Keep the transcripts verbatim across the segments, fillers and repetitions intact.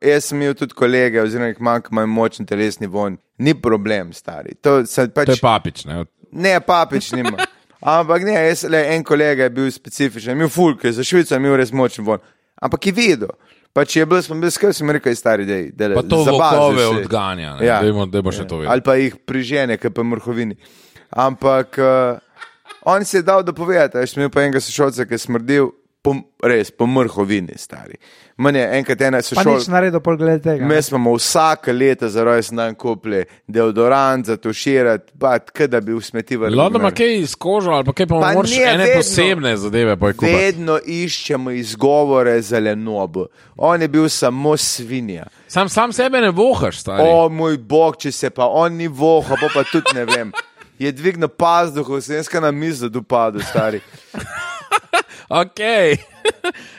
Jaz sem imel tudi kolege, oziroma jih manj, ki imajo močen telesni vonj. Ni problem, stari. To, pač, to je papič, ne? Ne, papič nima. Ampak ne, jaz, le, en kolega je bil specifičen, imel fulk, za Švico je imel res močen vonj. Ampak je videl. Pač je bil, smo bil skrb, sem rekel, stari, dej, dej, pa to vokove odganja, ne? Ja. Dejmo, dejmo še to videti. Ali pa jih prižene, kaj pa mrhovini. Ampak uh, on si je dal dopovedati, jaz sem imel pa enega sošolca, ki je smrdil, po, res, po mrhovini, stari. Mene, enkrat ena sošolca... Pa nič naredil pol glede tega. Mi smo vsaka leta za rojstni dan kupili deodorant za tuširati, pa kada bi v smeti vrnili. Lado ima kaj iz kožo, ali pa kaj pa moraš ene vedno, posebne zadeve pa je kupati. Vedno iščemo izgovore za lenobo. On je bil samo svinja. Sam, sam sebe ne vohaš, stari. O, moj bog, če se pa on ni voha, pa pa tudi ne vem. Je dvignil pazduho, sem jaz na mizo dopadu, stari. Ok,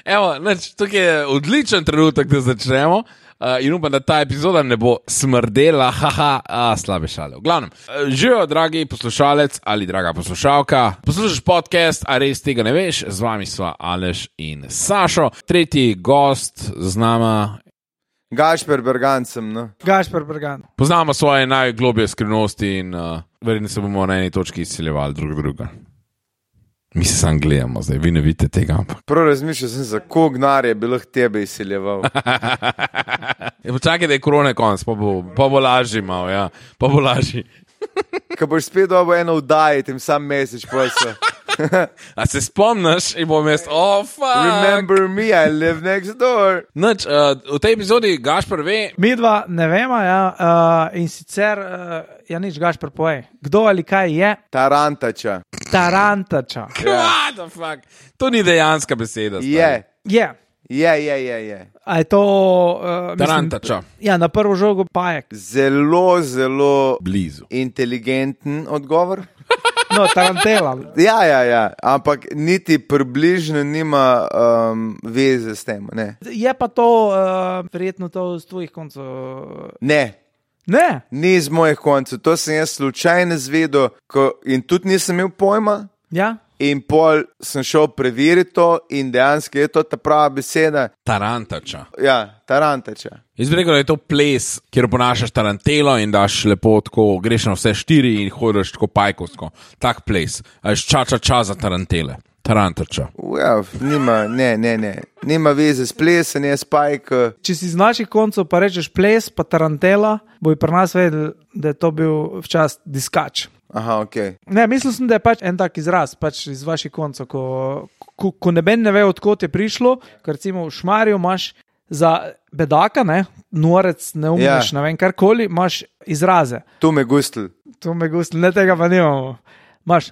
evo, neč, tukaj je odličen trenutek, da začnemo uh, in upam, da ta epizoda ne bo smrdela, haha, a, slabe šale. V glavnem, uh, živijo, dragi poslušalec ali draga poslušalka, poslušaš podcast, a res tega ne veš, z vami sva Aleš in Sašo, tretji gost z nama. Gašper Bergan sem, no. Gašper Bergan. Poznamo svoje najglobje skrivnosti in uh, verjetno se bomo na eni točki izsiljevali drug druga. Mi se sam gledamo zdaj, vi ne vidite tega. Prav razmišljal sem, za koliko gnarja bi lahko tebe izsiljeval. Počakaj, da je korone konc, pa bo, pa bo lažji malo, ja. Pa bo lažji. Ko boš spet dobo eno vdaji, tem sam mesec pojsa. A se spomniš in bom jaz, oh fuck. Remember me, I live next door. Noč, uh, v tej epizodi Gašper ve. Mi dva ne vemo, ja, uh, in sicer, uh, ja nič, Gašper povej, kdo ali kaj je? Tarantača. Tarantača. What the fuck? To ni dejanska beseda. Je. Je. Je, je, je, je. A je to... Uh, Tarantača. Ja, na prvo žogo pajek. Zelo, zelo... Blizu. Inteligenten odgovor. No, tarantela. Ja, ja, ja, ampak niti približno nima um, veze s tem, ne. Je pa to, uh, verjetno to z tvojih koncev... Ne. Ne? Ni z mojih koncev, to sem jaz slučajno zvedel ko, in tudi nisem imel pojma. Ja. In pol sem šel preveriti to in dejansko je to ta prava beseda. Tarantača. Ja, tarantača. Jaz bi rekel, da je to ples, kjer oponašaš tarantelo in daš lepo tako, greš na vse štiri in hodiš tako pajkovsko. Tak ples. A ješ ča, ča, ča za tarantele. Tarantača. Ja, nima, ne, ne, ne. Nima veze s plesem, je s pajk. Če si z naših koncev pa rečeš ples, pa tarantela, bo pri nas vedel, da je to bil včas diskač. Aha, ok. Ne, mislil sem, da je pač en tak izraz, pač iz vaših koncev, ko, ko, ko neben ne ve, odkot je prišlo, ker recimo v Šmarju imaš za bedaka, ne, norec, neumneš, ja. Ne vem, karkoli, imaš izraze. Tu me gustl. Tu me gustl, ne tega pa nimamo. Imaš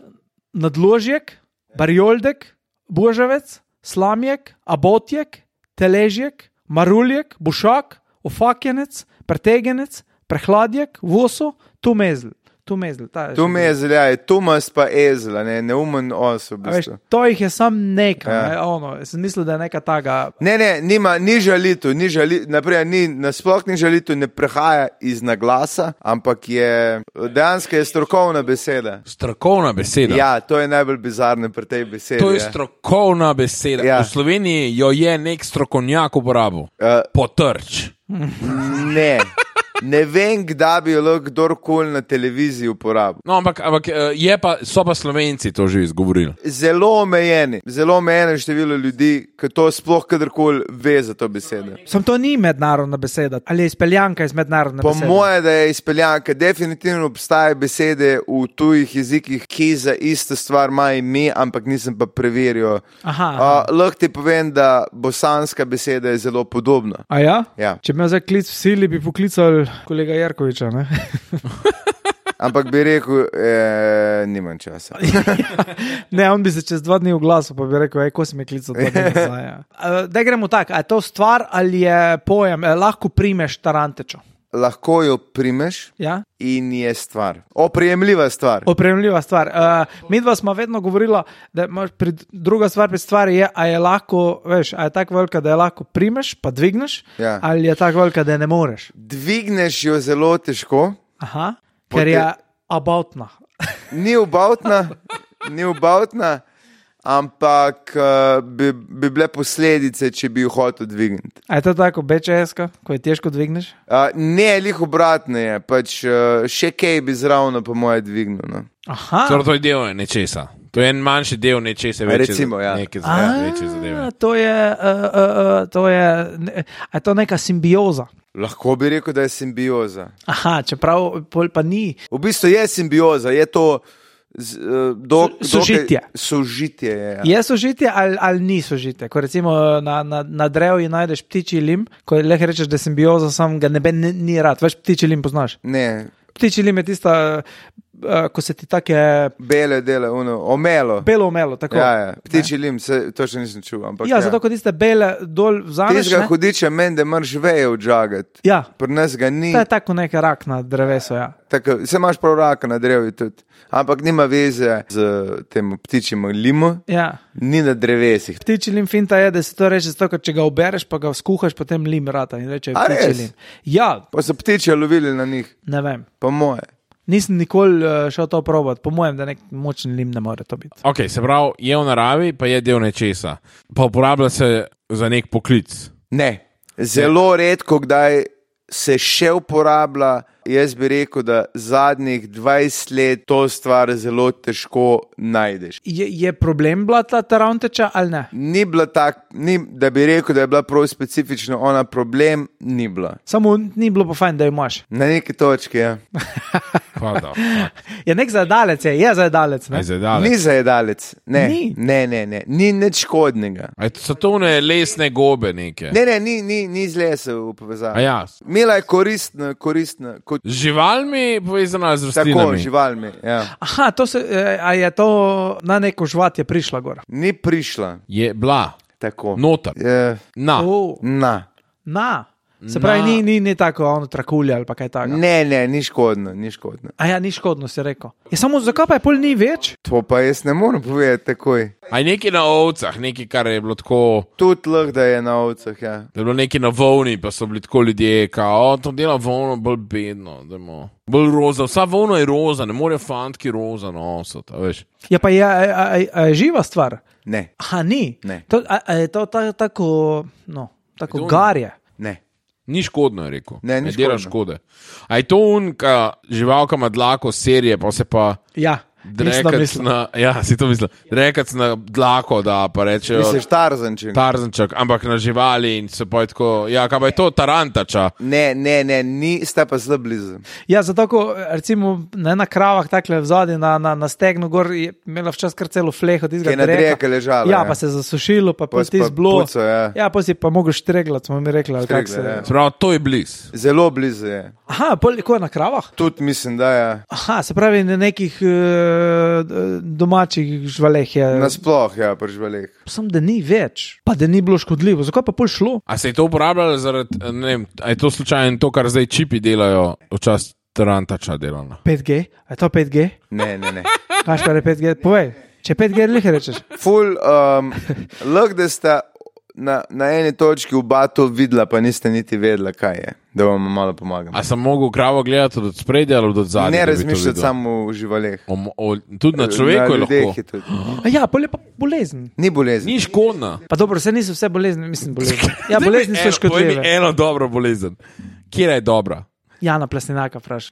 nadložjek, barjoldek, božavec, slamjek, abotjek, teležjek, maruljek, bušak, ofakjenec, pretegenec, prehladjek, voso, tu mezl. Tu mezl, ta je. Tu mezl, ja, je Tumas pa ezla, ne, neumen os v bistvu. Veš, to jih je sam nekaj, ja. Ne, ono, sem mislil, da je neka taga... Ne, ne, nima, ni žalitu, ni žalitu, naprej, ni, nasploh ni žalitu, ne prehaja iz naglasa, ampak je, dejansko je strokovna beseda. Strokovna beseda? Ja, to je najbolj bizarno pri tej besedi. To je ja. Strokovna beseda. Ja. V Sloveniji jo je nek strokovnjak uporabil. Uh, Potrč. Ne. Ne vem, kdaj bi jo lahko kdorkoli na televiziji uporabil. No, ampak, ampak je pa, so pa Slovenci to že izgovorili. Zelo omejeni, zelo omejeno število ljudi, ki to sploh kadarkoli ve za to besedo. Sam to ni mednarodna beseda, ali je izpeljanka iz mednarodne po besede? Po moje, da je izpeljanka. Definitivno obstaja besede v tujih jezikih, ki za isto stvar ima ime, ampak nisem pa preveril. Aha. Uh, lahko ti povem, da bosanska beseda je zelo podobna. A ja? Ja. Če bi me zdaj klic v sili, bi poklical kolega Jerkoviča, ne? Ampak bi rekel, eh, nimam časa. Ne, on bi se čez dva dni v glasu, pa bi rekel, ej, ko si me klical dva dni nazaj. Ja. Da gremo tak, a je to stvar ali je pojem, eh, lahko primeš tarantečo? Lahko jo primeš, ja? In je stvar. Oprijemljiva stvar. Oprijemljiva stvar. Uh, mi dva smo vedno govorila, da pri, druga stvar pri stvari je, a je lahko, veš, a je tako velika, da je lahko primeš, pa dvigneš, ja. Ali je tako velika, da je ne moreš. Dvigneš jo zelo težko. Aha, ker je abavtna. Ni abavtna, ni abavtna, ampak uh, bi, bi bile posledice, če bi jo hotel dvigniti. A je to tako B Č S-ka, ko je težko dvigneš? Uh, ne, lih obratno je, pač uh, še kaj bi zravno po moje dvignil. No. Aha. Torej, to je del nečesa. To je en manjši del nečesa, večje, Recimo, ja. neke A, večje zadeve. to je, uh, uh, uh, to je, ne, a je to neka simbioza? Lahko bi rekel, da je simbioza. Aha, čeprav pol pa ni. V bistvu je simbioza, je to z, uh, dok, Sožitje. dokaj, sožitje je, ja. Je sožitje ali, ali ni sožitje? Ko recimo na, na, na drevju najdeš ptičji lim, ko lahko rečeš, da je simbioza, sam ga nebe ni, ni rad. Veš, ptičji lim poznaš? Ne, Ptičji lim je tista, uh, ko se ti take bele dele, ono, omelo. belo omelo, tako. Ja, ja. Ptičji lim, se, to še nisem čul. Ampak, Ja, ja. zato ko tiste bele dol vzameš, Tistega ne? hudiča meni, da moraš veje odžagati. Ja, Pri nas ga ni, to je tako nek rak na drevesu, ja. tako, se imaš prav raka na drevju tudi. Ampak nima veze z tem ptičjim limu, Ja. ni na drevesih. Ptičji lim finta je, da se to reče zato, ker če ga obereš, pa ga skuhaš, potem lim rata in reče A ptičji res? lim. Ja, Pa so ptiče lovili na njih, ne vem. po moje. Nisem nikoli uh, šel to probati, po mojem, da nek močen lim ne more to biti. Ok, se pravi, je v naravi, pa je del nečesa. Pa uporablja se za nek poklic. Ne, zelo redko kdaj se še uporablja. Jaz bi rekel, da zadnjih dvajset let to stvar zelo težko najdeš. Je, je problem bila ta taravnteča ali ne? Ni bila tak, ni, da bi rekel, da je bila prav specifično ona problem, ni bila. Samo ni bilo pa fajn, da jo imaš. Na neki točki, ja. Hvala. Je nek zajedalec, je, je zajedalec. Ne? Aj zdaj Ni zajedalec, ne, Ni. ne, ne, ne, ni nič škodnega. Aj so to ne lesne gobe neke. Ne, ne, ni, ni, ni z lesa v A povezavi. ja, Mila je koristna, koristna, kot z živalmi povezana z tako, rastlinami. živalmi, ja. Aha, to se, eh, a je to na neko žvat je prišla gor. Ni prišla, Je bila, tako. noter, Je, na. Oh, na. na. Se pravi, Na. ni, ni, ni tako ono trakulje ali pa kaj takega. Ne, ne, ni škodno, ni škodno. A ja, ni škodno, si rekel. Je samo zakaj pa je pol ni več? To pa jaz ne morem povedati takoj. Aj nekaj na ovcah, nekaj, kar je bilo tako, Tudi lahko, da je na ovcah, ja. da je bilo nekaj na volni, pa so bili tako ljudje, kao, to dela volno bolj bedno, dajmo. Bolj roza, vsa volna je roza, ne morejo fantki roza nositi, a veš. Ja, pa je, a, a, a, a je živa stvar. Ne, Aha, ni. Ne. To, a, a je to ta, tako, no, tako Je to- garje. ne. Ni škodno, je rekel. Ne, ni dela škodno. škode. A je to unka živalka ima dlako serije, pa se pa Ja, mislim, da drekac mislim. na, ja, si to mislil, drekac na dlako, da pa rečejo Misliš Tarzanček? tarzanček, ampak na živali in se pa je tako, ja, kaj pa je to tarantača. Ne, ne, ne, ni, sta pa zelo blizu. Ja, zato, ko recimo ne, na kravah takle vzadi na, na, na stegnu gor je imela včasih kar celo fleho Ki tistega je na dreka ležala. Ja, pa se je zasušilo, pa Pa pa si ti pa zblo. pucal, ja. Ja, pa si pa mogel štreglati, smo mi rekli, ali kak se. Štregla, ja. Prav, to je bliz. Zelo blizu je. Aha, pol, ko je na kravah? Tudi mislim, da je. Aha, se pravi, na nekih uh, domačih živaleh je. Nasploh, ja, pri živalih. Sam, da ni več, pa da ni bilo škodljivo. Zakaj pa pol šlo? A se je to uporabljalo zaradi, ne vem, a je to slučajno to, kar zdaj čipi delajo, včasih tarantača delano. pet G? A je to pet G? Ne, ne, ne. Kaj pa je pet G? Povej, če pet G lih rečeš. Ful, um, lahko da sta na, na eni točki v batu videla, pa niste niti vedela, kaj je, da vam malo pomagam. A sem mogel kravo gledati od spredja ali od zadnjega? Ne razmišljati samo v živalih. O, o, tudi na človeku je ljudeh lahko. je tudi. A ja, pol je pa bolezen. Ni bolezni. Ni škodna. Pa dobro, se niso vse bolezni, mislim bolezni. Ja, bolezni so Eno- povej mi škodljive. eno dobro bolezen. Kje je dobra? Jana Plesninaka vpraša.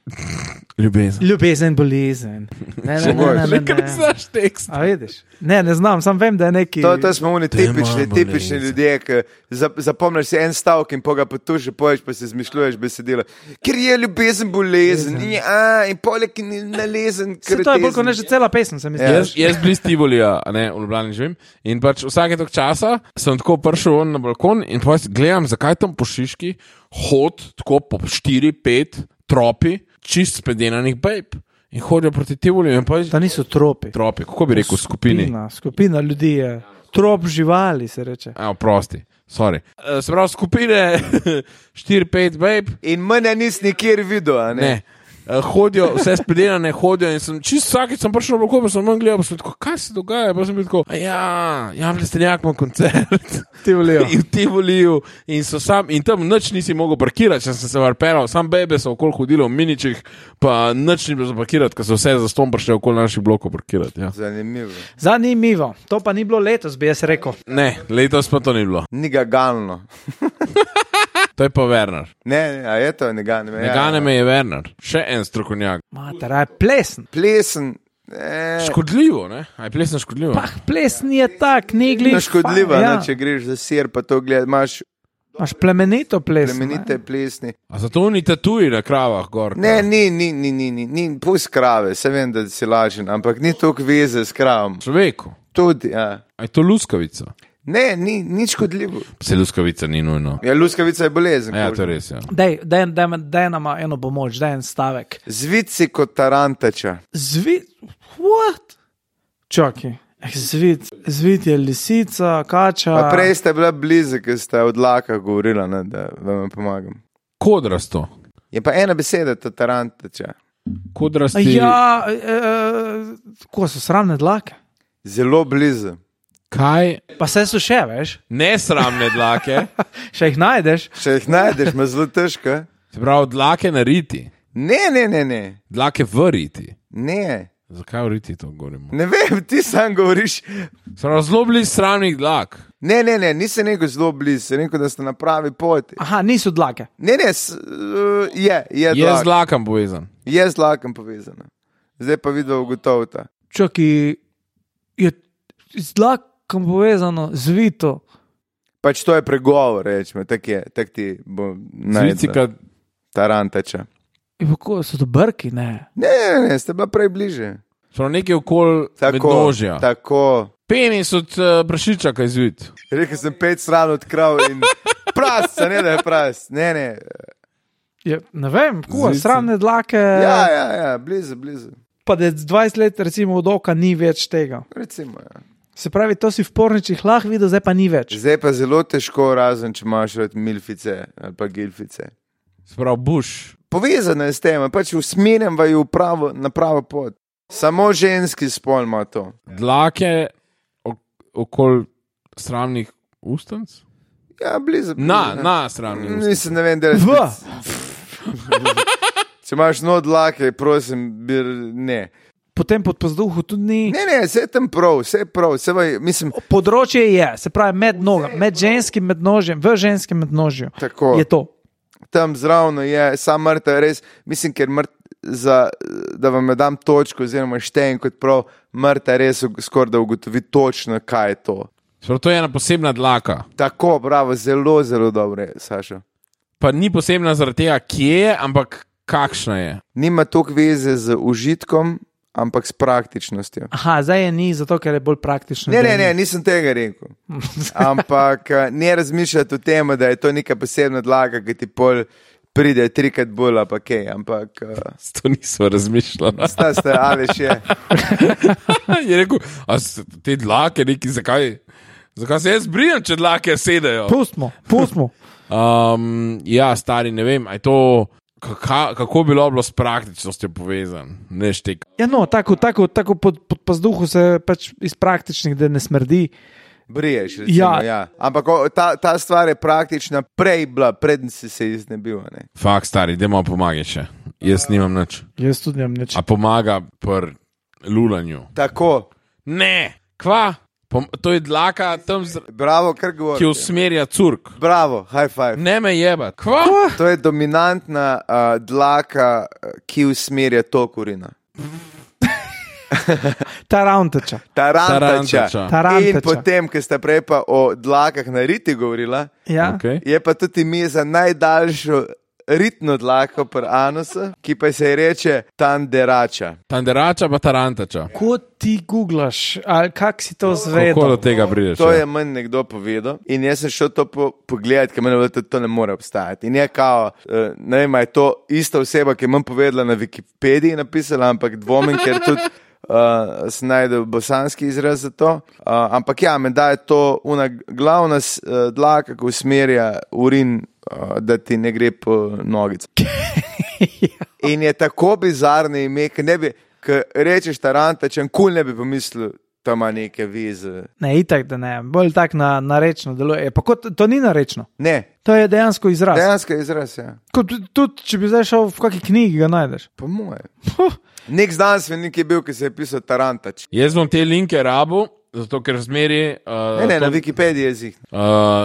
Ljubezen. Ljubezen, bolezen. Ne, ne, ne, ne, ne, Nekaj ne. znaš tekst. A vidiš? Ne, ne znam, sam vem, da je neki. To, to smo oni tipični, Dajmo tipični bolezen. ljudje, ki za- zapomniš si en stavek in poga potuši, poješ pa si izmišljuješ besedilo. Ker je ljubezen bolezen, in, je, a, in poleg ni nalezen, Se ker to je bolj kot ne že cela pesem, se mi zdi. Ja. Jaz, jaz bliz Tivolija, a ne, v Ljubljani živim. In pač vsake tok časa sem tako prišel ven na balkon in pa gledam, zakaj tam po Šiški hod tako po štiri, pet tropi čist spedenanih bejb. In hodijo proti Tivoliju in pa Da niso tropi. tropi, kako bi rekel, skupini. Skupina, skupina ljudi je. Trop živali se reče. Evo, prosti, sorry. Eh, Se pravi, skupine štiri, pet bejb, In mene nisi nikjer videl, a ne? ne. uh, hodijo, vse spedenane hodijo in sem čist vsakeč sem prišel na blokov, pa sem manj gledal, pa sem tako, kaj se dogaja, pa sem bil tako, ja, ja, Plestenjak ima koncert. Ti volijo. In ti volijo in so sam, in tam nič nisi mogel parkirati, če sem se varperal, sam bebe so okoli hodilo v miničih, pa nič ni bilo zaparkirati, ker so vse za ston prišli okoli naših blokov parkirati, ja. Zanimivo. Zanimivo. To pa ni bilo letos, bi jaz rekel. Ne, letos pa to ni bilo. Ni ga galno. To je pa Werner. Ne, ne, a je to, ne gane me. Ne gane me je Werner. Še en strokovnjak. Mater, a je plesen. Plesen. Eh, Škodljivo, ne? A je plesen škodljivo? Pah, plesen je tak, ni gliš. no, škodljiva, ja. ne, če greš za sir, pa to gledaj, imaš Imaš plemenito plesen. plemenite plesni. A zato ni tatuji na kravah gor? Ne, ni, ni, ni, ni, ni, ni pust krave, se vem, da si lažen, ampak ni toliko veze s kravom. Človeku. Tudi, ja. A je to luskavica? Ne, ni, ni škodljivo. Se luskavica ni nujno. Ja, luskavica je bolezen. Ja, to kožna. je res, ja. Dej, dej, dej, dej nama eno pomoč, dej en stavek. Zvici kot tarantača. Zvit, what? Čakaj, eh, zvit, zvit je lisica, kača. Pa prej ste bila blizu, ker ste od laka govorila, ne, da vam pomagam. Kodrasto. Je pa ena beseda, to tarantača. Kodrasti. Ja, eh, ko so sramne dlake? Zelo blizu. Kaj? Pa se so še, veš? Nesramne dlake. Še jih najdeš? Če jih najdeš, ima zelo težko. Se pravi, dlake na riti. Ne, ne, ne, ne. Dlake v riti. Ne, Zakaj v riti to govorimo? ne vem, ti sam govoriš. Se pravi, zelo blizu sramnih dlak. Ne, ne, ne, nisem rekel zelo blizu, sem rekel, da ste na pravi poti. Aha, niso dlake. Ne, ne, s, uh, je, je, Je dlak. z dlakom povezan. Je z dlakom povezana. Zdaj pa videl ugotovita. Čakaj, je z dlakom povezano, zvito. Pač to je pregovor, rečemo, tak je, tak ti bo Zvicika, najdel. Tarantača. In kako so to brki, ne? Ne, ne, ne, ste bila prej bliže. prav nekaj okoli Tako, mednožja. tako. Penis od uh, prašiča, kaj zvit. Rekel sem pet stran od krav in prasca, ne da je pras. Ne, ne. Je, ne vem, kako, Zvice. sramne dlake. Ja, ja, ja, blizu, blizu. Pa da z dvajset let recimo od oka ni več tega. Recimo, ja. Se pravi, to si v porničih lahko videl, zdaj pa ni več. Zdaj pa zelo težko, razen če imaš rad milfice ali pa gilfice. Sprav buš. Povezano je s tem, pač usmerjam vaju v pravo, na pravo pot. Samo ženski spol ima to. Dlake ok okoli sramnih ustanc? Ja, blizu. blizu Na, ne. na sramnih ustanc. Nisem, ne vem, da je V. Če imaš no dlake, prosim, bir, ne. Potem pod pazduhu tudi ni. Ne, ne, vse je tam prav, vse je prav, vse vaj, mislim, Področje je, se pravi, med noga, med ženskim mednožjem, v ženskem mednožju. tako. Je to. Tam zravno je, sam mrtev, res, mislim, ker mrt, za, da vam dam točko, oziroma štejem kot prav, mrtev res skoraj da ugotovi točno, kaj je to. Sprav to je ena posebna dlaka. Tako, bravo, zelo, zelo dobro je, Saša. Pa ni posebna zaradi tega, kje je, ampak kakšna je. Nima toliko veze z užitkom, ampak s praktičnostjo. Aha, zdaj je ni, zato ker je bolj praktično. Ne, da ne, je ne, ni. nisem tega rekel. Ampak eh, ne razmišljati o tem, da je to neka posebna dlaka, ki ti pol pride trikrat bolj, pa kaj, ampak uh, To nismo razmišljali. sta ste, ali še. Je rekel, a s- te dlake neki, zakaj? Zakaj se jaz brijem, če dlake sedajo? Pustimo, pustimo. Um, ja, stari, ne vem, a je to, kaka, kako bi bilo s praktičnostjo povezan, ne štek. Ja, no, tako, tako, tako pod, pod pazduhu se pač iz praktičnih, da ne smrdi. Briješ, recimo, Ja. ja. ja. Ampak o, ta, ta stvar je praktična prej bila, predn si se iznebil. Ne? Fak, stari, dajmo pomagati še. Jaz nimam nič. Jaz tudi nimam nič. A pomaga pri lulanju? Tako, Ne, kva? Pom to je dlaka tam, z bravo, kar ki govoriš. usmerja curk. Bravo, high five. Ne me jeba. Kva? To je dominantna uh, dlaka, uh, ki usmerja tok urina. Tarantača. Tarantača. Tarantača. Tarantača. In potem, ker sta prej pa o dlakah na riti govorila, Ja. Okay. je pa tudi ime za najdaljšo ritno dlako pri anusu, ki pa se ji reče tanderača. Tanderača pa tarantača. Ko ti googlaš, ali kak si to Kako do zvedel? tega prideš? To ja? je meni nekdo povedal in jaz sem šel to po, pogledati, ker meni je bilo, da to ne more obstajati. In je kao, uh, ne vem, a je to ista oseba, ki je meni povedala na Wikipediji napisala, ampak dvomim, ker tudi uh, sem najdel bosanski izraz za to. Uh, ampak ja, me da je to una glavna uh, dlaka, ki usmerja urin, uh, da ti ne gre po nogici. Ja. In je tako bizarno ime, ki ne bi, ki rečeš Tarantač, en kul ne bi pomislil, da ima neke vize. Ne, itak, da ne, bolj tak na, narečno deluje. Pa kot, to ni narečno. Ne, To je dejansko izraz. dejansko je izraz, ja. Kot, tudi, če bi zdaj šel v kakšni knjigi, ga najdeš. Po moje. Nek znanstvenik je bil, ki se je pisal Tarantač. Jaz bom te linke rabu, zato ker zmeri. Uh, Ne, ne, na to, Wikipediji je zih. uh,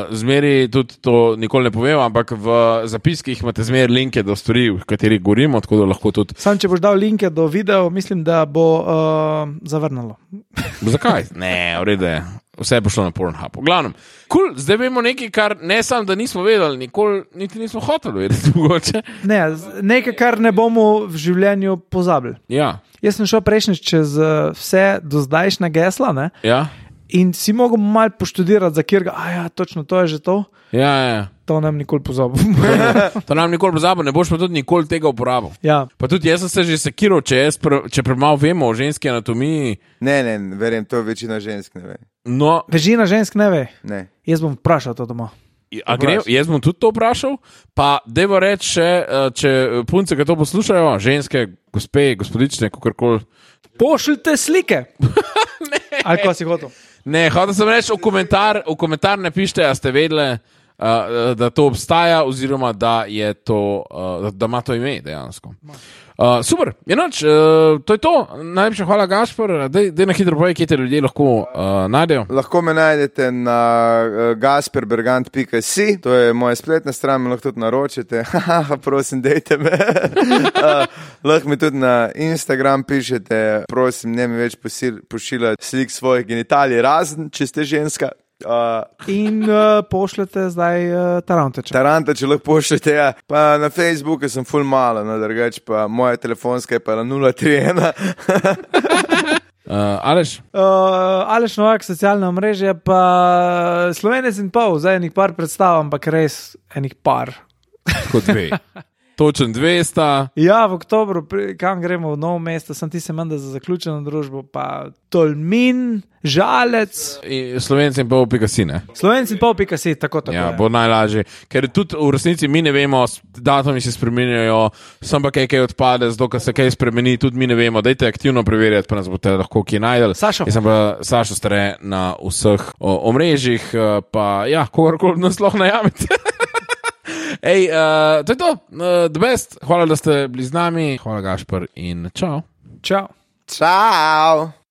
zmeri tudi to nikoli ne povem, ampak v zapiskih imate zmeri linke do stvari, o katerih govorimo, tako da lahko tudi. Sam, če boš dal linke do videov, mislim, da bo uh, zavrnilo. Zakaj? Ne, v redu je. Vse je pošlo na Pornhub. V glavnem, cool, zdaj vemo nekaj, kar ne samo, da nismo vedeli, nikoli niti nismo hoteli vedeti mogoče. Ne, z- nekaj, kar ne bomo v življenju pozabili. Ja, Jaz sem šel prejšnjič čez uh, vse do zdajšnja gesla, ne? ja, In si mogel malo poštudirati, za kjer ga, a ja, točno to je že to. ja, ja. To nam nikoli pozabil. To nam nikoli pozabil, ne boš pa tudi nikoli tega uporabil. Ja, Pa tudi jaz sem se že sekiral, če, jaz pre, če premalo vemo o ženski anatomiji. Ne, ne, verjem, to večina žensk ne ve. No, večina žensk ne ve. Ne. Jaz bom vprašal to doma. a gre, jaz bom tudi to vprašal, pa devo reči, še, eh, če punce, ki to poslušajo, ženske, gospe, gospodične, kakorkoli. Pošljite slike. Ali ko si hotel? Ne, hotel sem reči, v komentar, v komentar ne pišite, a ste vedeli, uh, da to obstaja, oziroma da, je to, uh, da ima to ime dejansko. Uh, super, enoč, uh, to je to. Najlepša hvala, Gašper. Dej, dej na hitro povej, kje te ljudje lahko uh, najdejo. Lahko me najdete na uh, gasperbergant pika si, to je moja spletna stran, me lahko tudi naročite. Haha, prosim, dejte me. uh, lahko mi tudi na Instagram pišete, prosim, ne mi več posil, pošiljati slik svojih genitalij, razen, če ste ženska. Uh, In uh, pošljete zdaj uh, Tarantača. Taranta, če lahko pošljete, ja. Pa na Facebooku sem full malo, no, drugače pa moja telefonska je pa na nula tri ena. Uh, Aleš? Uh, Aleš Novak, socialno mreže, pa Slovenec in pol, zdaj enih par predstav, ampak res enih par. Kot dve. Točen dve sta. Ja, v oktobru, pri- kam gremo v novo mesto, sem ti se menda za zaključeno družbo, pa Tolmin, Žalec, in Slovenci in pol pika si, ne? Slovenc in pol pika si, tako tako Ja, je. bo najlažje. Ker tudi v resnici mi ne vemo, s- datumi se spremenjajo, sem pa kaj, kaj odpade, zato ker se kaj spremeni, tudi mi ne vemo. Dajte aktivno preverjati, pa nas boste lahko kje najdel. Sašo. Jaz sem pa Sašo Stare na vseh o, omrežjih, eh, pa ja, kogarkoli nas lahko najamete. Ej, uh, to je to, uh, the best. Hvala, da ste bili z nami. Hvala, Gašper, in čau. Čau. Ciao.